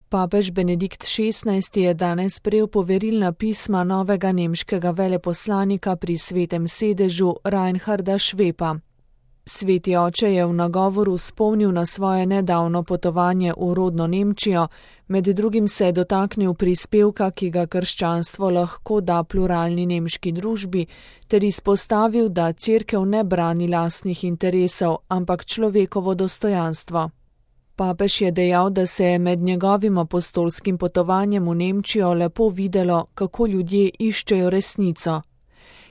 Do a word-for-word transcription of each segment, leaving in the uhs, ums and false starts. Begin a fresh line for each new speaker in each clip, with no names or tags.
Papež Benedikt šestnajsti je danes prejel poverilna pisma novega nemškega veleposlanika pri Svetem sedežu Reinharda Schwepa. Sveti oče je v nagovoru spomnil na svoje nedavno potovanje v rodno Nemčijo, med drugim se je dotaknil prispevka, ki ga krščanstvo lahko da pluralni nemški družbi, ter izpostavil, da cerkev ne brani lastnih interesov, ampak človekovo dostojanstvo. Papež je dejal, da se je med njegovim apostolskim potovanjem v Nemčijo lepo videlo, kako ljudje iščejo resnico.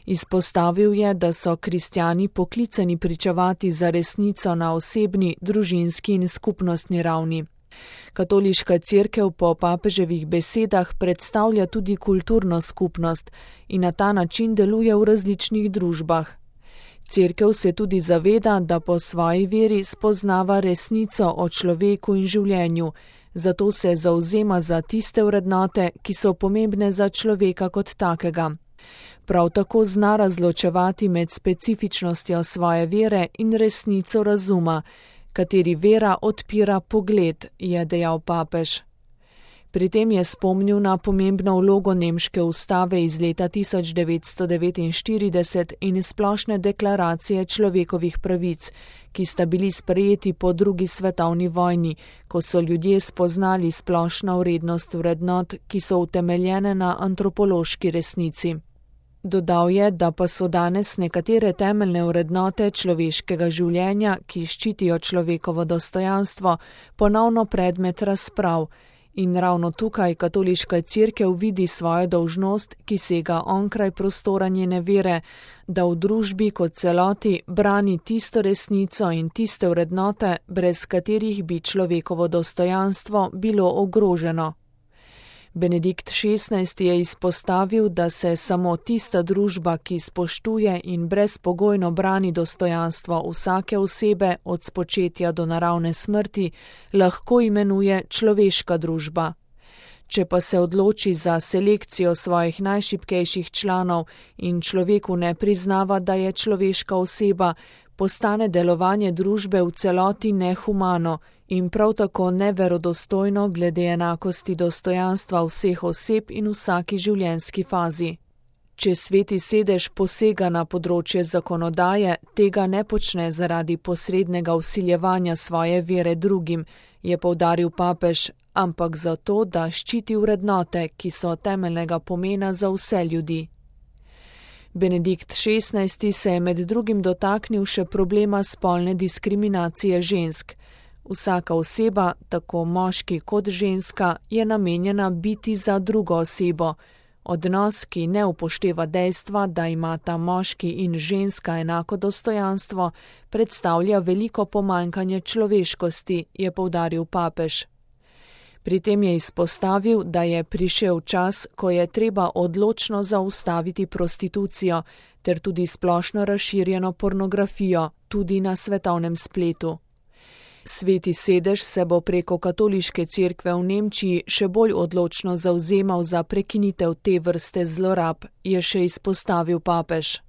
Izpostavil je, da so kristjani poklicani pričevati za resnico na osebni, družinski in skupnostni ravni. Katoliška cerkev po papeževih besedah predstavlja tudi kulturno skupnost in na ta način deluje v različnih družbah. Cerkev se tudi zaveda, da po svoji veri spoznava resnico o človeku in življenju, zato se zavzema za tiste vrednote, ki so pomembne za človeka kot takega. Prav tako zna razločevati med specifičnostjo svoje vere in resnico razuma, kateri vera odpira pogled, je dejal papež. Pri tem je spomnil na pomembno vlogo nemške ustave iz leta tisoč devetsto devetinštirideset in splošne deklaracije človekovih pravic, ki sta bili sprejeti po drugi svetovni vojni, ko so ljudje spoznali splošno vrednost vrednot, ki so utemeljene na antropološki resnici. Dodal je, da pa so danes nekatere temeljne vrednote človeškega življenja, ki ščitijo človekovo dostojanstvo, ponovno predmet razprav. In ravno tukaj katoliška cerkev vidi svojo dolžnost, ki sega onkraj prostora njene vere, da v družbi kot celoti brani tisto resnico in tiste vrednote, brez katerih bi človekovo dostojanstvo bilo ogroženo. Benedikt šestnajsti je izpostavil, da se samo tista družba, ki spoštuje in brezpogojno brani dostojanstvo vsake osebe od spočetja do naravne smrti, lahko imenuje človeška družba. Če pa se odloči za selekcijo svojih najšibkejših članov in človeku ne priznava, da je človeška oseba, postane delovanje družbe v celoti nehumano in prav tako neverodostojno glede enakosti dostojanstva vseh oseb in vsaki življenjski fazi. Če Sveti sedež posega na področje zakonodaje, tega ne počne zaradi posrednega vsiljevanja svoje vere drugim, je poudaril papež, ampak zato, da ščiti vrednote, ki so temeljnega pomena za vse ljudi. Benedikt šestnajsti se je med drugim dotaknil še problema spolne diskriminacije žensk. Vsaka oseba, tako moški kot ženska, je namenjena biti za drugo osebo. Odnos, ki ne upošteva dejstva, da imata moški in ženska enako dostojanstvo, predstavlja veliko pomanjkanje človeškosti, je poudaril papež. Pri tem je izpostavil, da je prišel čas, ko je treba odločno zaustaviti prostitucijo ter tudi splošno razširjeno pornografijo, tudi na svetovnem spletu. Sveti sedež se bo preko katoliške cerkve v Nemčiji še bolj odločno zavzemal za prekinitev te vrste zlorab, je še izpostavil papež.